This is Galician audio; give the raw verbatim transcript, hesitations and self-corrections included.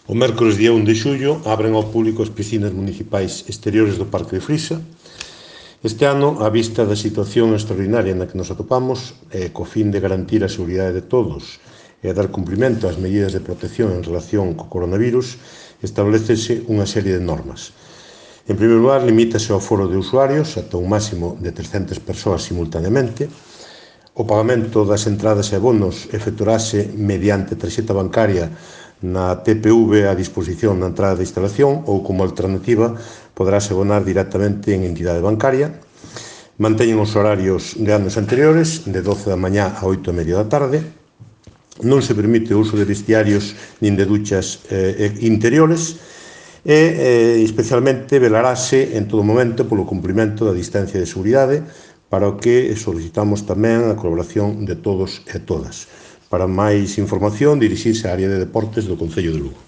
O mércores día un de xullo abren ao público as piscinas municipais exteriores do Parque de Frisa. Este ano, á vista da situación extraordinaria na que nos atopamos, e co fin de garantir a seguridade de todos e dar cumprimento ás medidas de protección en relación co coronavirus, establecese unha serie de normas. En primeiro lugar, limítase o aforo de usuarios ata un máximo de trescentas persoas simultaneamente. O pagamento das entradas e abonos efectuarase mediante tarxeta bancaria na T P V a disposición na entrada de instalación ou, como alternativa, poderase abonar directamente en entidade bancaria. Manteñen os horarios de anos anteriores, de doce da mañá a oito e media da tarde. Non se permite o uso de vestiarios nin de duchas eh, interiores e, eh, especialmente, velarase en todo momento polo cumprimento da distancia de seguridade, para o que solicitamos tamén a colaboración de todos e todas. Para máis información, dirixirse á área de deportes do Concello de Lugo.